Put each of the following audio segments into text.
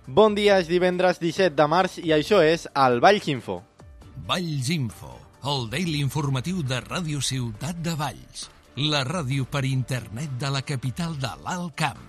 Bon dia, és divendres 17 de març i això és el Valls Info. Valls Info, el daily informatiu de Ràdio Ciutat de Valls, la ràdio per internet de la capital de l'Alt Camp.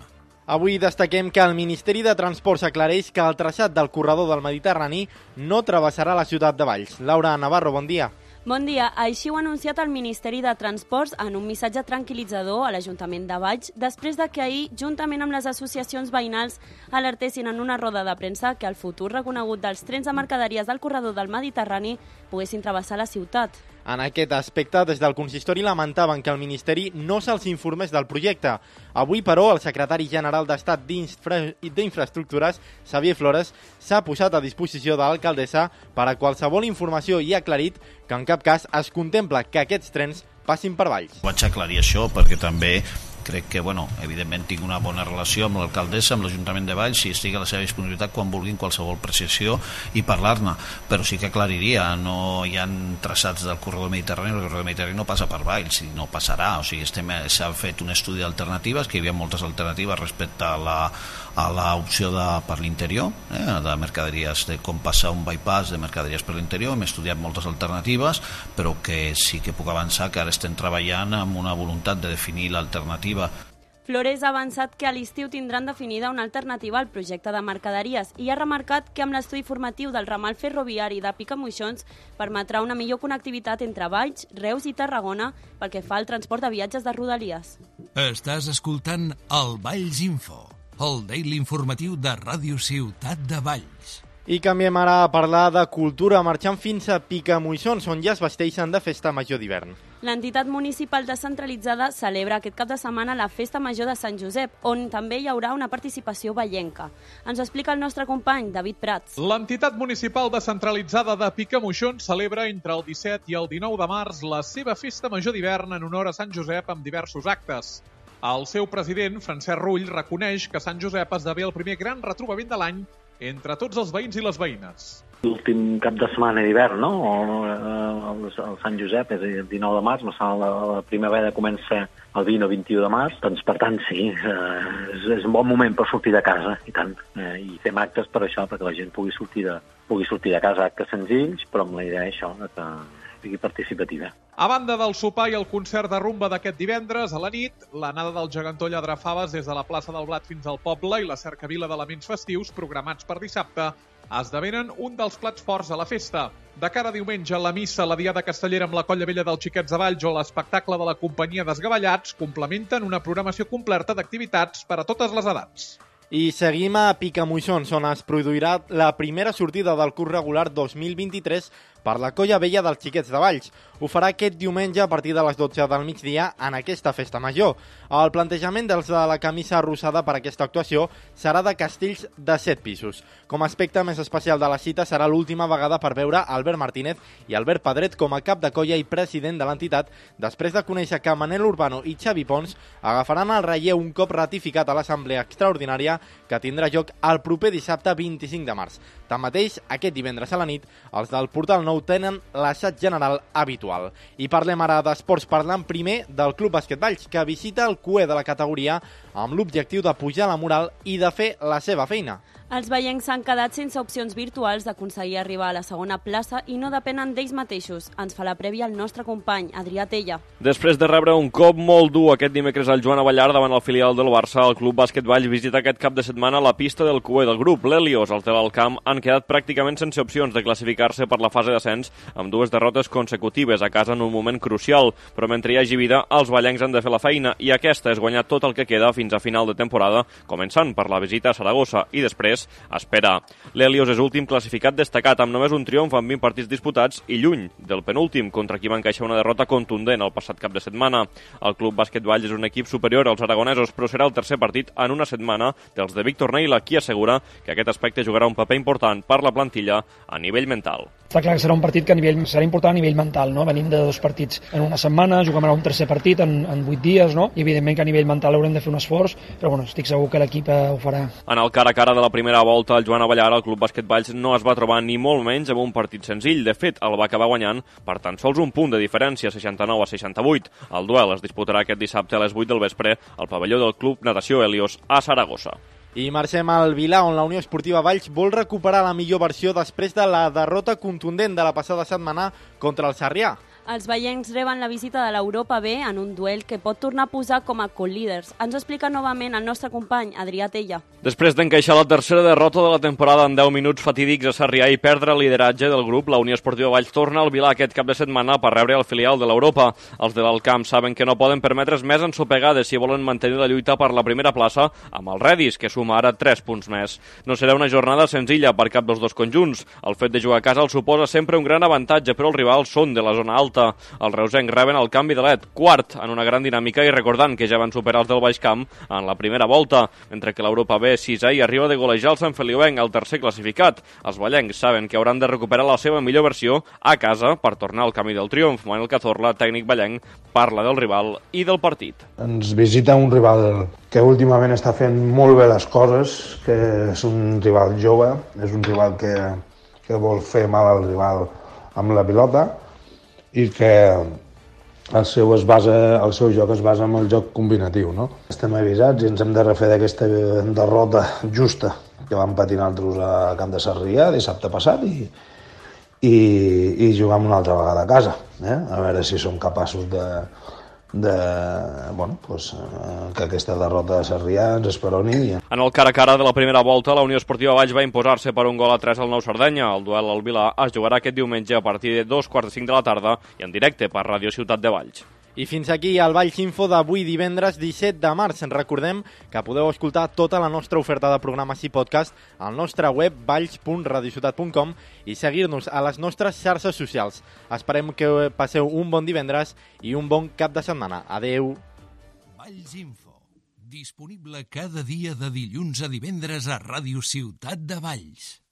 Avui destaquem que el Ministeri de Transports aclareix que el traçat del corredor del Mediterrani no travessarà la ciutat de Valls. Laura Navarro, bon dia. Bon dia. Així ho ha anunciat el Ministeri de Transports en un missatge tranquil·litzador a l'Ajuntament de Valls després de que ahir, juntament amb les associacions veïnals, alertessin en una roda de premsa que el futur reconegut dels trens de mercaderies del corredor del Mediterrani poguessin travessar la ciutat. En aquest aspecte, des del consistori lamentaven que el Ministeri no se'ls informés del projecte. Avui, però, el secretari general d'Estat d'Infraestructures, Xavier Flores, s'ha posat a disposició de l'alcaldessa per a qualsevol informació i ha aclarit que en cap cas es contempla que aquests trens passin per Valls. Vaig aclarir això perquè també crec que, evidentment tinc una bona relació amb l'alcaldessa, amb l'Ajuntament de Valls, i estic a la seva disponibilitat quan vulguin qualsevol precisió i parlar-ne, però sí que aclariria, no hi ha traçats del corredor mediterrani, el corredor mediterrani no passa per Valls i no passarà, o sigui, s'ha fet un estudi d'alternatives, que hi havia moltes alternatives respecte a l'opció per l'interior, de mercaderies, de com passar un bypass de mercaderies per l'interior. Hem estudiat moltes alternatives, però que sí que puc avançar que ara estem treballant amb una voluntat de definir l'alternativa. Flores ha avançat que a l'estiu tindran definida una alternativa al projecte de mercaderies i ha remarcat que amb l'estudi formatiu del ramal ferroviari de Picamoixons permetrà una millor connectivitat entre Valls, Reus i Tarragona pel que fa al transport de viatges de Rodalies. Estàs escoltant el Valls Info, el daily informatiu de Ràdio Ciutat de Valls. I canviem ara a parlar de cultura, marxant fins a Picamoixons, on ja es vesteixen de festa major d'hivern. L'entitat municipal descentralitzada celebra aquest cap de setmana la Festa Major de Sant Josep, on també hi haurà una participació vallenca. Ens ho explica el nostre company, David Prats. L'entitat municipal descentralitzada de Picamoixons celebra entre el 17 i el 19 de març la seva Festa Major d'hivern en honor a Sant Josep amb diversos actes. El seu president, Francesc Rull, reconeix que Sant Josep esdevé el primer gran retrobament de l'any entre tots els veïns i les veïnes. L'últim cap de setmana d'hivern, no? El Sant Josep és el 19 de març, la primavera comença el 20 o 21 de març, doncs per tant sí, és un bon moment per sortir de casa, i tant. I fem actes per això, perquè la gent pugui sortir de casa, actes senzills, però amb la idea això, que sigui participativa. A banda del sopar i el concert de rumba d'aquest divendres, a la nit, l'anada del gegantó Lladrafaves des de la plaça del Blat fins al poble i la cercavila d'elements festius programats per dissabte esdevenen un dels plats forts a la festa. De cara a diumenge, la missa, la diada castellera amb la Colla Vella dels Xiquets de Valls o l'espectacle de la companyia Desgavellats complementen una programació completa d'activitats per a totes les edats. I seguim a Picamoixons, on es produirà la primera sortida del curs regular 2023 per la Colla Vella dels Xiquets de Valls. Ho farà aquest diumenge a partir de les 12 del migdia en aquesta festa major. El plantejament dels de la camisa rosada per aquesta actuació serà de castells de 7 pisos. Com a aspecte més especial de la cita serà l'última vegada per veure Albert Martínez i Albert Pedret com a cap de colla i president de l'entitat, després de conèixer que Manel Urbano i Xavi Pons agafaran el relleu un cop ratificat a l'assemblea extraordinària que tindrà lloc el proper dissabte 25 de març. Tanmateix, aquest divendres a la nit, els del Portal Nou tenen l'assaig general habitual. I parlem ara d'esports, parlant primer del Club Bàsquet Valls, que visita el cué de la categoria amb l'objectiu de pujar la moral i de fer la seva feina. Els veiencs s'han quedat sense opcions virtuals d'aconseguir arribar a la segona plaça i no depenen d'ells mateixos. Ens fa la prèvia el nostre company, Adrià Tella. Després de rebre un cop molt dur aquest dimecres al Joan Avellar davant el filial del Barça, el Club Bàsquet Valls visita aquest cap de setmana la pista del cué del grup. L'Helios, el Tel Camp, han quedat pràcticament sense opcions de classificar-se per la fase d'ascens amb 2 derrotes consecutives a casa en un moment crucial. Però mentre hi hagi vida, els vallencs han de fer la feina i aquesta és guanyar tot el que queda fins a final de temporada, començant per la visita a Saragossa i després espera. L'Helios és últim classificat destacat amb només un triomf en 20 partits disputats i lluny del penúltim, contra qui va encaixar una derrota contundent el passat cap de setmana. El Club Bàsquet Valls és un equip superior als aragonesos, però serà el tercer partit en una setmana dels de Víctor Neila, qui assegura que aquest aspecte jugarà un paper important per la plantilla a nivell mental. Està clar que serà un partit que serà important a nivell mental, no? Venim de 2 partits en una setmana, juguem ara un tercer partit en 8 dies, no? I evidentment que a nivell mental haurem de fer un esforç, però estic segur que l'equip ho farà. En el cara a cara de la primera volta, el Joan Avellar, el Club Bàsquet Valls, no es va trobar ni molt menys amb un partit senzill. De fet, el va acabar guanyant per tan sols un punt de diferència, 69 a 68. El duel es disputarà aquest dissabte a les 8 del vespre al pavelló del Club Natació Helios a Saragossa. I marxem al Vilà, on la Unió Esportiva Valls vol recuperar la millor versió després de la derrota contundent de la passada setmana contra el Sarrià. Els veiencs reben la visita de l'Europa B en un duel que pot tornar a posar com a co-líders. Ens ho explica novament el nostre company, Adrià Tella. Després d'encaixar la tercera derrota de la temporada en 10 minuts fatídics a Sarrià i perdre el lideratge del grup, la Unió Esportiva Valls torna al Vilà aquest cap de setmana per rebre el filial de l'Europa. Els de l'Alcamp saben que no poden permetre's més ensopegades si volen mantenir la lluita per la primera plaça amb el Redis, que suma ara 3 punts més. No serà una jornada senzilla per cap dels dos conjunts. El fet de jugar a casa els suposa sempre un gran avantatge, però els rivals són de la zona alta. Els reusencs reben el canvi de led, quart en una gran dinàmica i recordant que ja van superar els del Baix Camp en la primera volta, mentre que l'Europa B, sisè, i arriba de golejar el Sant Feliuenc, el tercer classificat. Els ballencs saben que hauran de recuperar la seva millor versió a casa per tornar al camí del triomf. Manuel Cazorla, tècnic ballenc, parla del rival i del partit. Ens visita un rival que últimament està fent molt bé les coses, que és un rival jove, és un rival que vol fer mal al rival amb la pilota, i que el seu joc es basa en el joc combinatiu, no? Estem avisats i ens hem de refer d'aquesta derrota justa que vam patir nosaltres a Camp de Sarrià dissabte passat i jugar una altra vegada a casa, a veure si som capaços que aquesta derrota de Sarrià ens esperoni. En el cara a cara de la primera volta, la Unió Esportiva Valls va imposar-se per 1-3 al Nou Sardenya. El duel al Vilà es jugarà aquest diumenge a partir de 2:45 de la tarda i en directe per Ràdio Ciutat de Valls. I fins aquí el Valls Info d'avui divendres 17 de març. Recordem que podeu escoltar tota la nostra oferta de programes i podcast al nostre web valls.radiociutat.com i seguir-nos a les nostres xarxes socials. Esperem que passeu un bon divendres i un bon cap de setmana. Adeu! Valls Info, disponible cada dia de dilluns a divendres a Ràdio Ciutat de Valls.